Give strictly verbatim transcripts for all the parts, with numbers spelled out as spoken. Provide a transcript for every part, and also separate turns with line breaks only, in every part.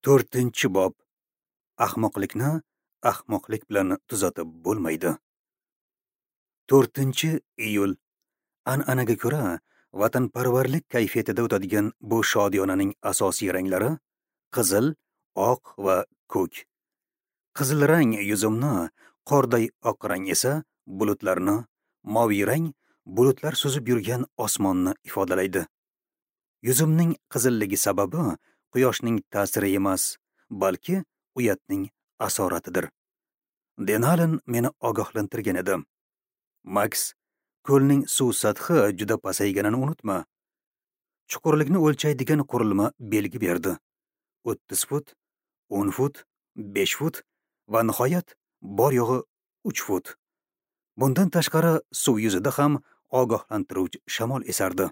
To'rtinchi bob. Ahmoqlikni ahmoqlik bilan tuzatib bo'lmaydi. To'rtinchi iyul. An'anaga ko'ra, vatanparvarlik kayfiyatida o'tadigan bu shodiyonaning asosiy ranglari qizil, oq va ko'k. Qizil rang yuzimni, qorday oq rang esa bulutlarni, moviy rang bulutlar suzib yurgan osmonni ifodalaydi. Yuzimning qizilligi sababi quyoshning ta'siri emas, balki uyatning asoratidir. Denalin meni ogohlantirgan edi. Max, ko'lning suv sathi juda pasayganini unutma. Chuqurlikni o'lchaydigan qurilma belgi berdi. o'ttiz fut, o'n fut, besh fut va nihoyat bor yo'g'i uch fut. Bundan tashqari suv yuzida ham ogohlantiruvchi shamol esardi.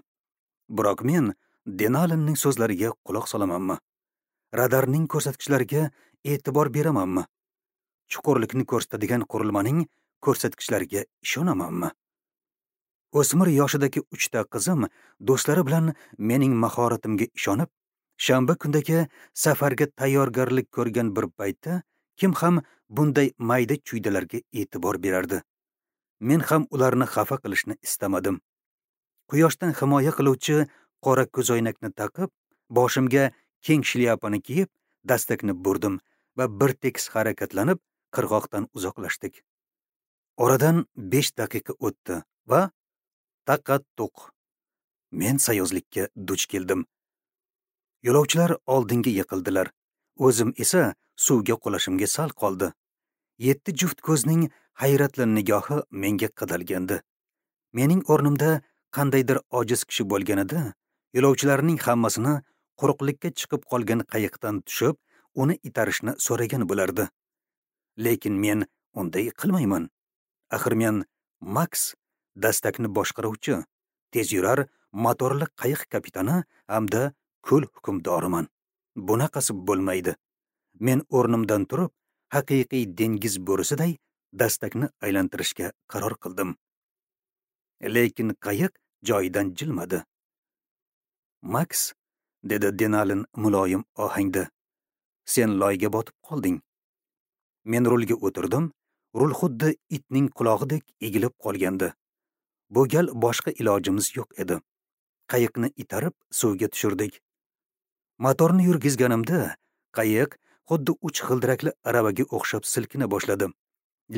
Biroq men Denalinning so'zlariga quloq solamanmi? Radarning ko'rsatkichlariga e'tibor beramanmi? Chuqurlikni ko'rsatadigan qurilmaning ko'rsatkichlariga ishonamanmi? O'smir yoshidagi uchta qizim do'stlari bilan mening mahoratimga ishonib, shanba kundagi safarga tayyorgarlik ko'rgan bir paytda kim ham bunday mayda chuydalarga e'tibor berardi? Men ham ularni xafa qilishni istamadim. Quyoshdan himoya qiluvchi qora ko'zoynakni taqib, boshimga keng shlyapani kiyib, dastakni burdim va bir tekis harakatlanib, qirg'oqdan uzoqlashdik. Oradan besh daqiqa o'tdi va taqqa-tuq. Men sayozlikka duch keldim. Yo'lovchilar oldinga yiqildilar. O'zim esa suvga qulashimga sal qoldi. Yetti juft ko'zning hayratli nigohi menga qadalgandi. Mening o'rnimda qandaydir ojiz kishi bo'lganida, yo'lovchilarning hammasini quruqlikka chiqib qolgan qayiqdan tushib, uni itarishni so'ragan bo'lardi. Lekin men unday qilmayman. Axir men Max, dastakni boshqaruvchi, tezyurar motorli qayiq kapitani hamda ko'l hukmdoriman. Bunaqasi bo'lmaydi. Men o'rnimdan turib, haqiqiy dengiz bo'risiday dastakni aylantirishga qaror qildim. Lekin qayiq joyidan jilmadi. Max, dedi Denalin muloyim ohangda, sen loyga botib qolding. Men rulga o'tirdim. Rul xuddi itning qulog'idek egilib qolgandi. Bu gal boshqa ilojimiz yo'q edi. Qayiqni itarib suvga tushirdik. Motorni yurgizganimda qayiq xuddi uch g'ildirakli aravaga o'xshab silkina boshladi.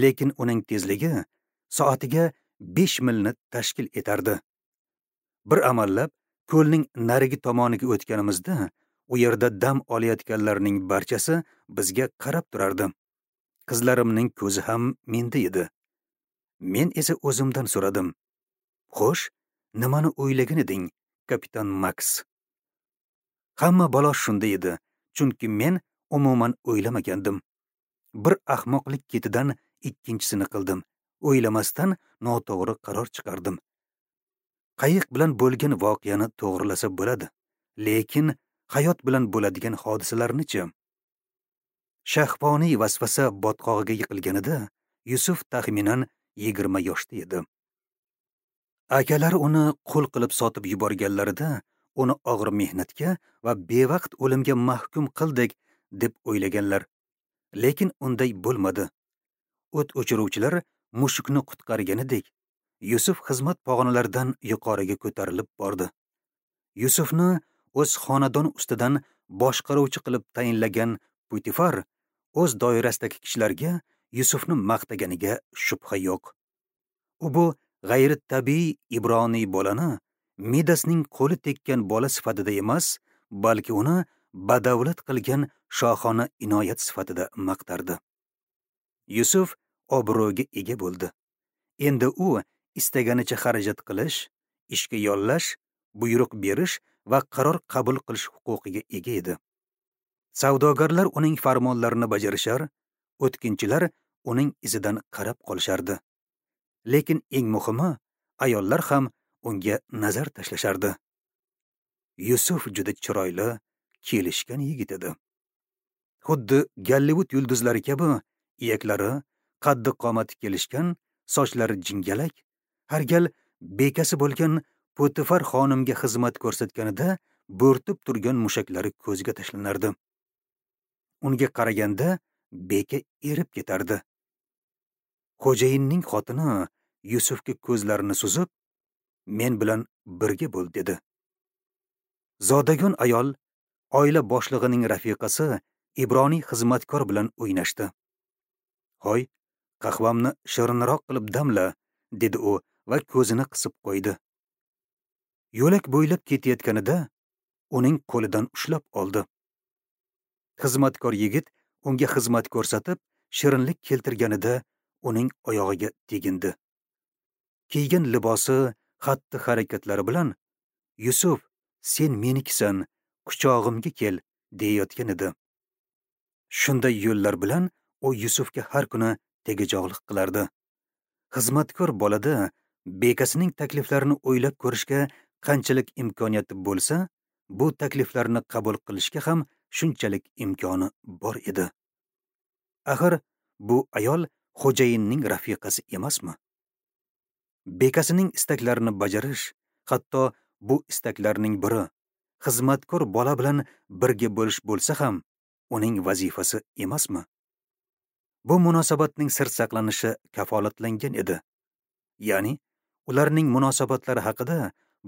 Lekin uning tezligi soatiga besh milni tashkil etardi. Bir amallab ko'lning narigi tomoniga o'tganimizda u yerda dam olayotganlarning barchasi bizga qarab turardi. Qizlarimning ko'zi ham menda edi. Men esa o'zimdan so'radim. Xo'sh, nimani o'ylagan eding, kapitan Max? Hamma balo shunda edi, chunki men umuman o'ylamagandim. Bir ahmoqlik ketidan ikkinchisini qildim. O'ylamasdan noto'g'ri qaror chiqardim. Qayiq bilan bo'lgan voqeani to'g'rilasa bo'ladi, lekin hayot bilan bo'ladigan hodisalarni-chi? Shahvoniy vasvasa botqog'iga yiqilganida Yusuf taxminan yigirma yoshda edi. Akalari uni qul qilib sotib yuborganlarida uni og'ir mehnatga va bevaqt o'limga mahkum qildik deb o'ylaganlar. Lekin unday bo'lmadi. O't o'chiruvchilar mushukni qutqarganidek, Yusuf xizmat pog'onalaridan yuqoriga ko'tarilib bordi. Yusufni o'z xonadon ustidan boshqaruvchi qilib tayinlagan Putifar o'z doirasidagi kishilarga Yusufni maqtaganiga shubha yo'q. U bu g'ayritabiiy ibroniy bolani Midasning qo'li tekkan bola sifatida emas, balki uni badavlat qilgan shohona inoyat sifatida maqtardi. Yusuf obro'ga ega bo'ldi. Endi u istaganicha xarajat qilish, ishga yollash, buyruq berish va qaror qabul qilish huquqiga ega edi. Savdogarlar uning farmonlarini bajarishar, o'tkinchilar uning izidan qarab qolishardi. Lekin eng muhimi, ayollar ham unga nazar tashlashardi. Yusuf juda chiroyli, kelishgan yigit edi. Xuddi Gollivud yulduzlari kabi iyaklari, qaddi qomati kelishgan, sochlari jingalak, har gal bekasi bo'lgan Potifar xonimga xizmat ko'rsatganida bo'rtib turgan mushaklari ko'zga tashlanardi. Unga qaraganda beka erib ketardi. Xo'jayinning xotini Yusufga ko'zlarini suzib, "Men bilan birga bo'l" dedi. Zodagon ayol oila boshlig'ining rafiqasi Ibroniy xizmatkor bilan o'ynashdi. "Hoy, qahvamni shirinroq qilib damla" dedi u va ko'zini qisib qo'ydi. Yo'lak bo'ylab ketayotganida uning qo'lidan ushlab oldi. Xizmatkor yigit unga xizmat ko'rsatib, shirinlik keltirganida uning oyog'iga tegindi. Kiygan libosi, xatti-harakatlari bilan "Yusuf, sen menikisan, quchog'imga kel" deyayotgan edi. Shunday yo'llar bilan u Yusufga har kuni tegajog'lik qilardi. Xizmatkor bolada bekasining takliflarini o'ylab ko'rishga qanchalik imkoniyati bo'lsa, bu takliflarni qabul qilishga ham shunchalik imkoni bor edi. Axir bu ayol xo'jayinning rafiqasi emasmi? Bekasining istaklarini bajarish, hatto bu istaklarning biri xizmatkor bola bilan birga bo'lish bo'lsa ham, uning vazifasi emasmi? Bu munosabatning sir saqlanishi kafolatlangan edi. Ya'ni ularning munosabatlari haqida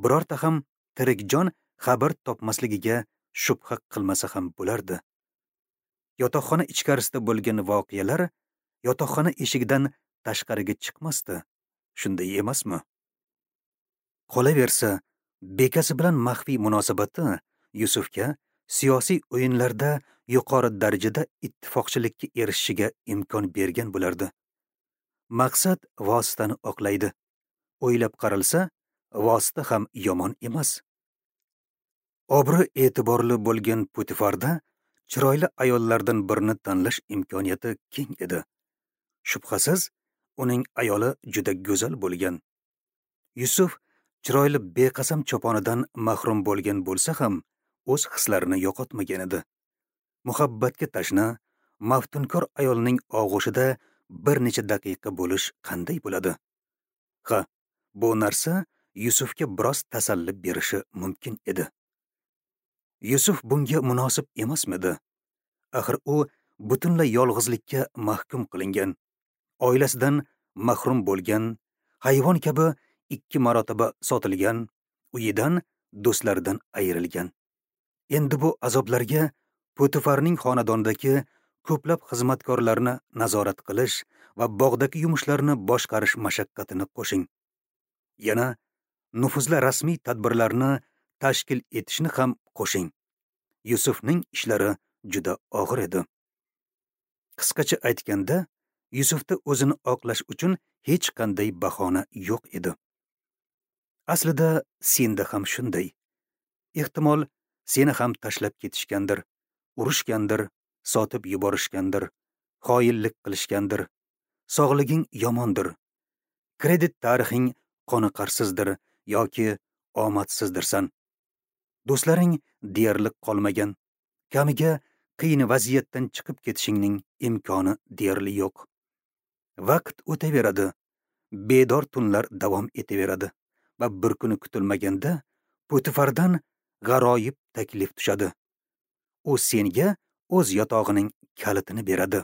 birorta ham tirik jon xabar topmasligiga shubha qilmasa ham bo'lardi. Yotoqxona ichkarisida bo'lgan voqealar yotoqxona eshigidan tashqariga chiqmasdi. Shunday emasmi? Qolaversa, bekasi bilan maxfiy munosabati Yusufga siyosiy o'yinlarda yuqori darajada ittifoqchilikka erishishiga imkon bergan bo'lardi. Maqsad vositani oqlaydi. O'ylab qaralsa, vosita ham yomon emas. Obro' e'tiborli bo'lgan Potifarda chiroyli ayollardan birini tanlash imkoniyati keng edi. Shubhasiz, uning ayoli juda go'zal bo'lgan. Yusuf chiroyli beqasam choponidan mahrum bo'lgan bo'lsa ham, o'z hislarini yo'qotmagan edi. Muhabbatga tashna, maftunkor ayolning og'ushida bir necha daqiqa bo'lish qanday bo'ladi? Ha, bu narsa Yusufga biroz tasalli berishi mumkin edi. Yusuf bunga munosib emasmidi? Axir u butunlay yolg'izlikka mahkum qilingan, oilasidan mahrum bo'lgan, hayvon kabi ikki marotaba sotilgan, uyidan, do'stlaridan ayrilgan. Endi bu azoblarga Potifarning xonadonidagi ko'plab xizmatkorlarni nazorat qilish va bog'dagi yumushlarni boshqarish mashaqqatini qo'shing. Yana nufuzli rasmiy tadbirlarni tashkil etishni ham qo'shing. Yusufning ishlari juda og'ir edi. Qisqacha aytganda, Yusufda o'zini oqlash uchun hech qanday bahona yo'q edi. Aslida senda ham shunday. Ehtimol seni ham tashlab ketishgandir, urushgandir, sotib yuborishgandir, xoinlik qilishgandir, sog'liging yomondir, kredit tarixing qoniqarsizdir yoki omadsizdirsan. Do'stlaring deyarli qolmagan, kamiga qiyin vaziyatdan chiqib ketishingning imkoni deyarli yo'q. Vaqt o'taveradi, bedor tunlar davom etaveradi va bir kuni kutilmaganda Potifardan g'aroyib taklif tushadi. U senga o'z yotog'ining kalitini beradi.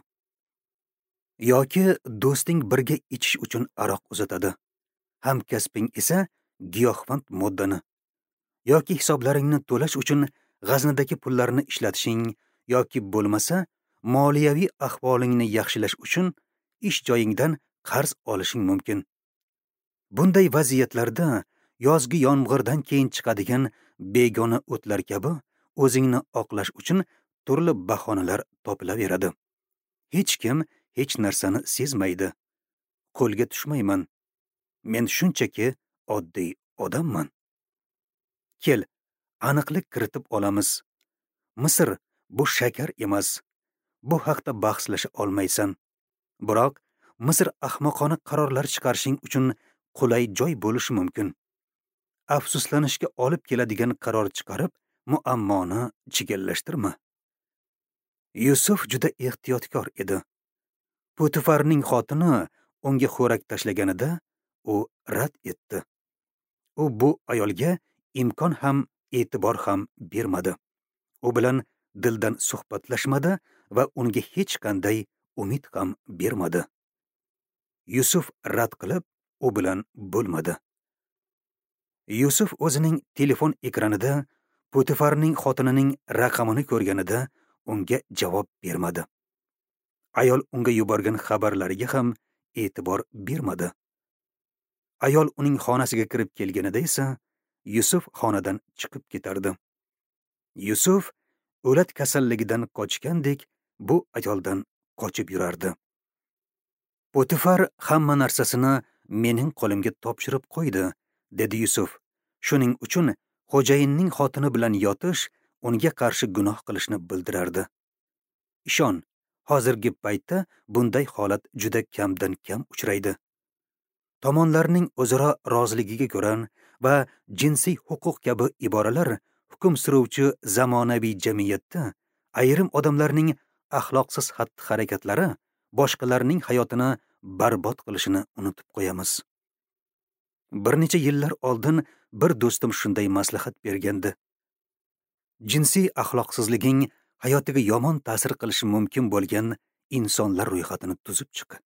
Yoki do'sting birga ichish uchun aroq uzatadi. Hamkasbing esa giyohvand moddani. Yoki hisoblaringni to'lash uchun g'aznadagi pullarni ishlatishing yoki bo'lmasa moliyaviy ahvolingni yaxshilash uchun ish joyingdan qarz olishing mumkin. Bunday vaziyatlarda yozgi yomg'irdan keyin chiqadigan begona o'tlar kabi o'zingni oqlash uchun turli bahonalar topilaveradi. Hech kim hech narsani sezmaydi. Qo'lga tushmayman. Men shunchaki oddiy odamman. Kel, aniqlik kiritib olamiz. Misr bu shakar emas. Bu haqda bahslasha olmaysan. Biroq Misr ahmoqona qarorlar chiqarishing uchun qulay joy bo'lishi mumkin. Afsuslanishga olib keladigan qaror chiqarib, muammoni chigallashtirma. Yusuf juda ehtiyotkor edi. Potifarning xotini unga xo'rak tashlaganida u rad etdi. U bu ayolga imkon ham, e'tibor ham bermadi. U bilan dildan suhbatlashmadi va unga hech qanday umid ham bermadi. Yusuf rad qilib, u bilan bo'lmadi. Yusuf o'zining telefon ekranida Potifarning xotinining raqamini ko'rganida unga javob bermadi. Ayol unga yuborgan xabarlariga ham e'tibor bermadi. Ayol uning xonasiga kirib kelganida esa Yusuf xonadan chiqib ketardi. Yusuf o'lat kasalligidan qochgandek bu ayoldan qochib yurardi. Potifar hamma narsasini mening qo'limga topshirib qo'ydi, dedi Yusuf. Shuning uchun xo'jayinning xotini bilan yotish unga qarshi gunoh qilishni bildirardi. Ishon, hozirgi paytda bunday holat juda kamdan kam uchraydi. Tomonlarning o'zaro roziligiga ko'ra va jinsiy huquq kabi iboralar hukm suruvchi zamonaviy jamiyatda ayrim odamlarning axloqsiz xatti-harakatlari boshqalarning hayotini barbod qilishini unutib qo'yamiz. Bir necha yillar oldin bir do'stim shunday maslahat bergandi. Jinsiy axloqsizliging hayotiga yomon ta'sir qilishi mumkin bo'lgan insonlar ro'yxatini tuzib chiq.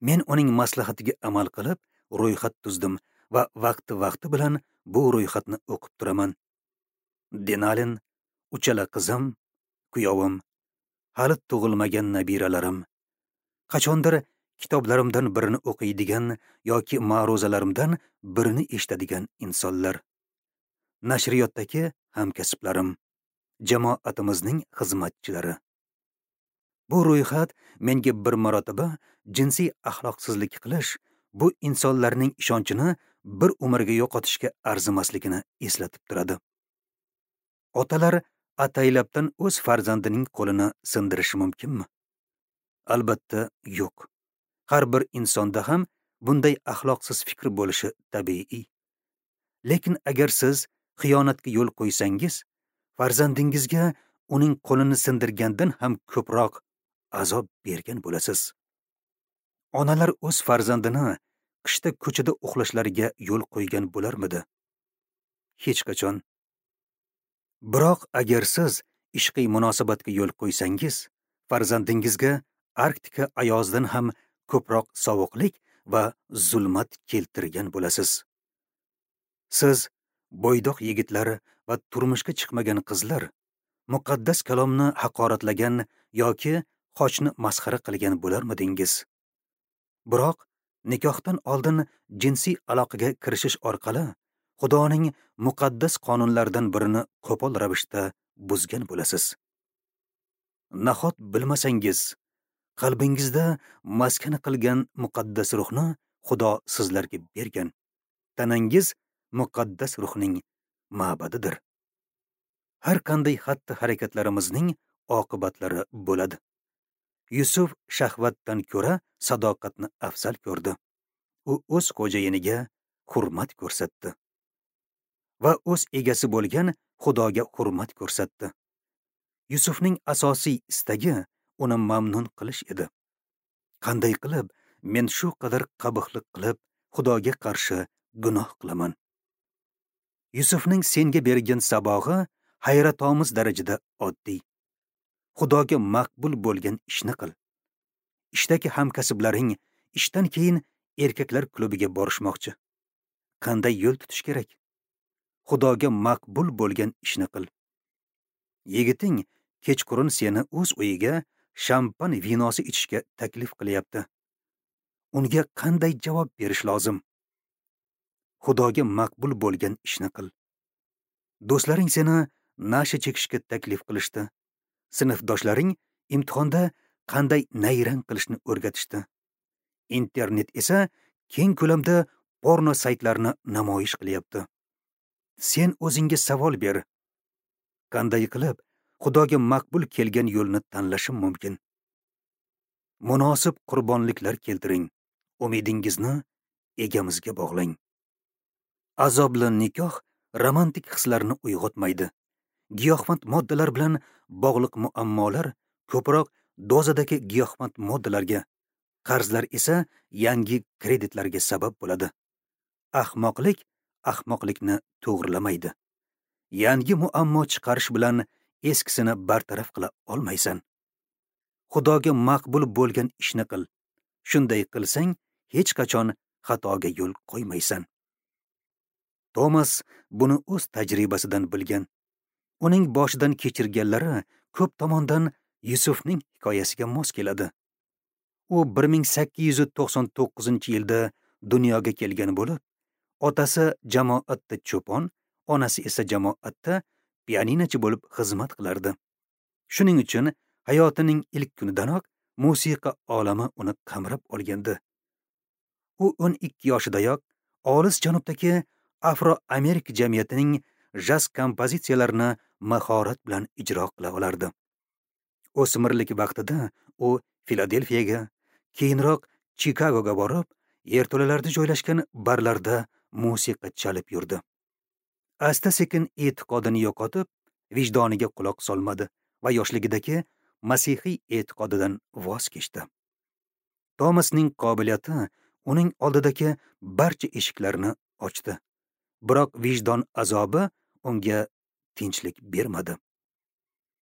Men uning maslahatiga amal qilib, ro'yxat tuzdim va vaqti-vaqti bilan bu ro'yxatni o'qib turaman. Denalin, uchala qizim, kuyovim, hali tug'ilmagan nabiralarim, qachondir kitoblarimdan birini o'qiydigan yoki ma'ruzalarimdan birini eshitadigan insonlar, nashriyotdagi hamkasblarim, jamoatimizning xizmatchilari. Bu ro'yxat menga bir marotaba jinsiy axloqsizlik qilish bu insonlarning ishonchini bir umrga yo'qotishga arzimasligini eslatib turadi. Otalar ataylabdan o'z farzandining qo'lini sindirishi mumkinmi? Albatta, yo'q. Har bir insonda ham bunday axloqsiz fikr bo'lishi tabiiy. Lekin agar siz xiyonatga yo'l qo'ysangiz, farzandingizga uning qo'lini sindirgandan ham ko'proq azob bergan bo'lasiz. Onalar o'z farzandini qishda ko'chada uxlashlariga yo'l qo'ygan bo'larmidi? Hech qachon. Biroq agar siz ishqiy munosabatga yo'l qo'ysangiz, farzandingizga Arktika ayozidan ham ko'proq sovuqlik va zulmat keltirgan bo'lasiz. Siz bo'ydoq yigitlar va turmushga chiqmagan qizlar muqaddas kalomni haqoratlagan yoki xochni masxara qilgan bo'larmidingiz? Biroq nikohdan oldin jinsiy aloqaga kirishish orqali Xudoning muqaddas qonunlaridan birini qo'pol ravishda buzgan bo'lasiz. Nahot bilmasangiz, qalbingizda maskan qilgan muqaddas ruhni Xudo sizlarga bergan. Tanangiz muqaddas ruhning ma'badidir. Har qanday xatti-harakatlarimizning oqibatlari bo'ladi. Yusuf shahvatdan ko'ra sadoqatni afzal ko'rdi. U o'z xo'jayiniga hurmat ko'rsatdi va o'z egasi bo'lgan Xudoga hurmat ko'rsatdi. Yusufning asosiy istagi uni mamnun qilish edi. Qanday qilib men shu qadar qabihlik qilib Xudoga qarshi gunoh qilaman? Yusufning senga bergan sabog'i hayratomuz darajada oddiy. Xudoga maqbul bo'lgan ishni qil. Ishdagi hamkasblaring ishdan keyin erkaklar klubiga borishmoqchi. Qanday yo'l tutish kerak? Xudoga maqbul bo'lgan ishni qil. Yigiting kechqurun seni o'z uyiga shampan vinosi ichishga taklif qilyapti. Unga qanday javob berish lozim? Xudoga maqbul bo'lgan ishni qil. Do'stlaring seni nasha chekishga taklif qilishdi. Sinfdoshlaring imtihonda qanday nayrang qilishni o'rgatishdi. Internet esa keng ko'lamda porno saytlarini namoyish qilyapti. Sen o'zingga savol ber. Qanday qilib Xudoga maqbul kelgan yo'lni tanlashim mumkin? Munosib qurbonliklar keltiring. Umidingizni egamizga bog'lang. Azobli nikoh romantik hislarni uyg'otmaydi. Giyohvand moddalar bilan bog'liq muammolar ko'proq dozadagi giyohvand moddalarga, qarzlar esa yangi kreditlarga sabab bo'ladi. Ahmoqlik ahmoqlikni to'g'rilamaydi. Yangi muammo chiqarish bilan eskisini bartaraf qila olmaysan. Xudoga maqbul bo'lgan ishni qil. Shunday qilsang, hech qachon xatoga yo'l qo'ymaysan. Tomas buni o'z tajribasidan bilgan. Uning boshidan kechirganlari ko'p tomondan Yusufning hikoyasiga mos keladi. U bir ming sakkiz yuz to'qson to'qqizinchi yilda dunyoga kelgan bo'lib, otasi jamoatda cho'pon, onasi esa jamoatda pianinochi bo'lib xizmat qilardi. Shuning uchun hayotining ilk kunidanoq musiqa olami uni qamrab olgandi. U o'n ikki yoshidayoq olis janubdagi Afro-Amerika jamiyatining jaz kompozitsiyalarini mahorat bilan ijro qila olardi. O'smirlik vaqtida u Filadelfiyaga, keyinroq Chikagoga borib, yerto'lalarda joylashgan barlarda musiqa chalib yurdi. Asta-sekin e'tiqodini yo'qotib, vijdoniga quloq solmadi va yoshligidagi masihiy e'tiqodidan voz kechdi. Tomasning qobiliyati uning oldidagi barcha eshiklarni ochdi. Biroq vijdon azobi unga tinchlik bermadi.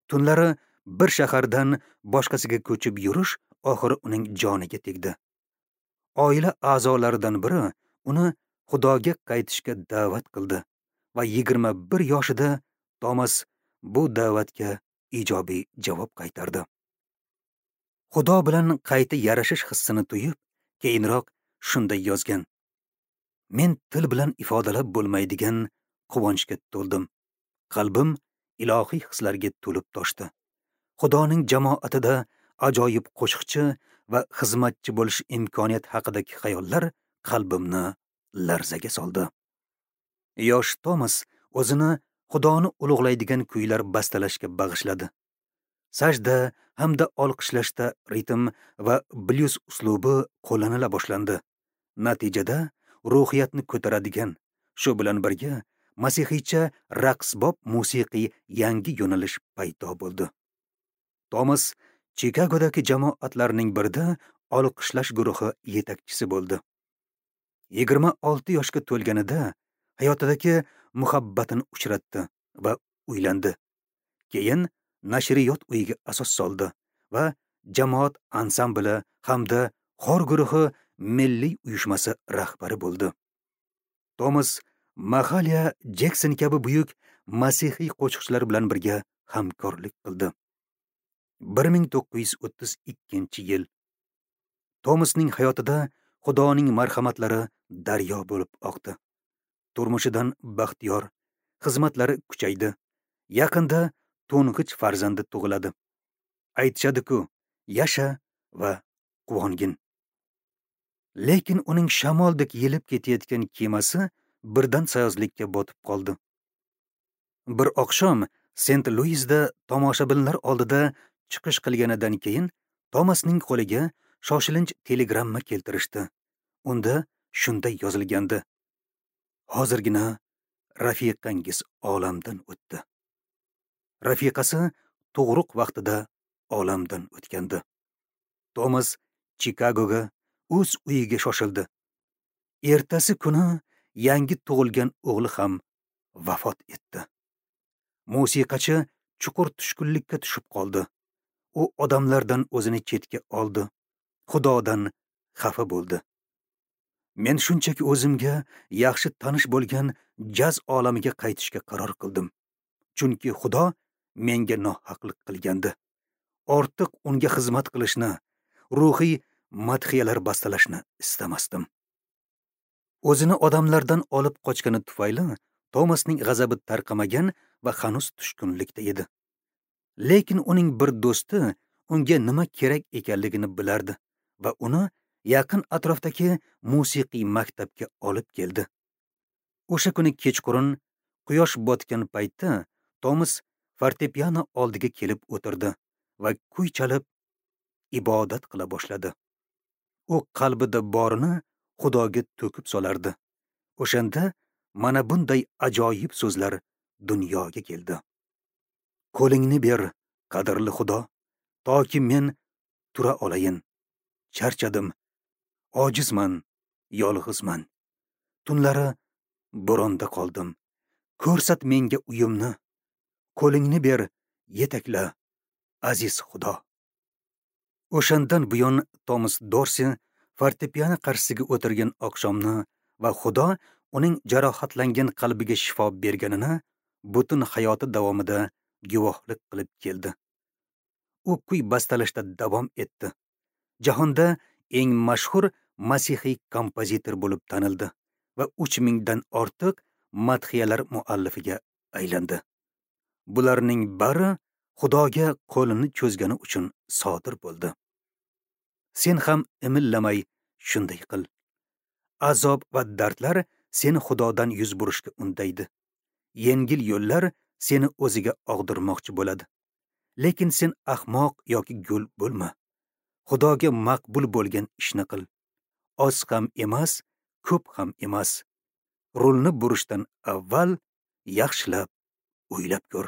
Tunlari bir shahardan boshqasiga ko'chib yurish oxiri uning joniga tegdi. Oila a'zolaridan biri uni Xudoga qaytishga da'vat qildi va yigirma bir yoshida Tomas bu da'vatga ijobiy javob qaytardi. Xudo bilan qayta yarashish hissini tuyib, keyinroq shunday yozgan: Men til bilan ifodalab bo'lmaydigan quvonchga to'ldim. Qalbim ilohiy hislarga to'lib toshdi. Xudoning jamoatida ajoyib qo'shiqchi va xizmatchi bo'lish imkoniyati haqidagi xayollar qalbimni larzaga soldi. Yosh Tomas o'zini Xudoni ulug'laydigan kuylar bastalashga bag'ishladi. Sajda hamda olqishlashda ritm va blyuz uslubi qo'llanila boshlandi. Natijada ruhiyatni ko'taradigan, shu bilan birga masihiycha raqsbob musiqiy yangi yo'nalish paydo bo'ldi. Tomas Chikagodagi jamoatlarning birida olqishlash guruhi yetakchisi bo'ldi. Yigirma olti yoshga to'lganida hayotidagi muhabbatini uchratdi va uylandi. Keyin nashriyot uyiga asos soldi va jamoat ansambli hamda xor guruhi milliy uyushmasi rahbari bo'ldi. Tomas Mahalia Jekson kabi buyuk masihiy qo'shiqchilar bilan birga hamkorlik qildi. bir ming to'qqiz yuz o'ttiz ikkinchi yil. Tomasning hayotida Xudoning marhamatlari daryo bo'lib oqdi. Turmushidan baxtiyor, xizmatlari kuchaydi. Yaqinda to'ng'ich farzandi tug'iladi. Aytishadi-ku, yasha va quvongin. Lekin uning shamoldek yelib ketayotgan kemasi birdan sayozlikka botib qoldi. Bir oqshom Sent-Luisda tomoshabinlar oldida chiqish qilganidan keyin Tomasning qo'liga shoshilinch telegramma keltirishdi. Unda shunday yozilgandi: Hozirgina rafiqangiz olamdan o'tdi. Rafiqasi tug'ruq vaqtida olamdan o'tgandi. Tomas Chikagoga, o'z uyiga shoshildi. Ertasi kuni yangi tug'ilgan o'g'li ham vafot etdi. Musiqachi chuqur tushkunlikka tushib qoldi. U odamlardan o'zini chetga oldi. Xudodan xafa bo'ldi. Men shunchaki o'zimga yaxshi tanish bo'lgan jaz olamiga qaytishga qaror qildim. Chunki Xudo menga nohaqlik qilgandi. Ortiq unga xizmat qilishni, ruhiy madhiyalar bastalashni istamasdim. O'zini odamlardan olib qochgani tufayli Tomasning g'azabi tarqamagan va hanuz tushkunlikda edi. Lekin uning bir do'sti unga nima kerak ekanligini bilardi va uni yaqin atrofdagi musiqiy maktabga olib keldi. O'sha kuni kechqurun quyosh botgan paytda Tomas fortepiano oldiga kelib o'tirdi va kuy chalib ibodat qila boshladi. U qalbida borini Xudoga to'kib solardi. O'shanda mana bunday ajoyib so'zlar dunyoga keldi. Qo'lingni ber, qadrli Xudo, toki men tura olayin. Charchadim, ojizman, yolg'izman. Tunlari bo'ronda qoldim. Ko'rsat menga uyimni. Qo'lingni ber, yetakla, aziz Xudo. O'shandan buyon Tomas Dorsi fortepiano qarshisiga o'tirgan oqshomni va Xudo uning jarohatlangan qalbiga shifo berganini butun hayoti davomida guvohlik qilib keldi. U kuy bastalashda davom etdi. Jahonda eng mashhur masihiy kompozitor bo'lib tanildi va uch mingdan ortiq madhiyalar muallifiga aylandi. Bularning bari Xudoga qo'lini cho'zgani uchun sodir bo'ldi. Sen ham imillamay shunday qil. Azob va dardlar seni Xudodan yuz burishga undaydi. Yengil yo'llar seni o'ziga og'dirmoqchi bo'ladi. Lekin sen ahmoq yoki gul bo'lma. Xudoga maqbul bo'lgan ishni qil. Oz ham emas, ko'p ham emas. Rulni burishdan avval yaxshilab o'ylab ko'r.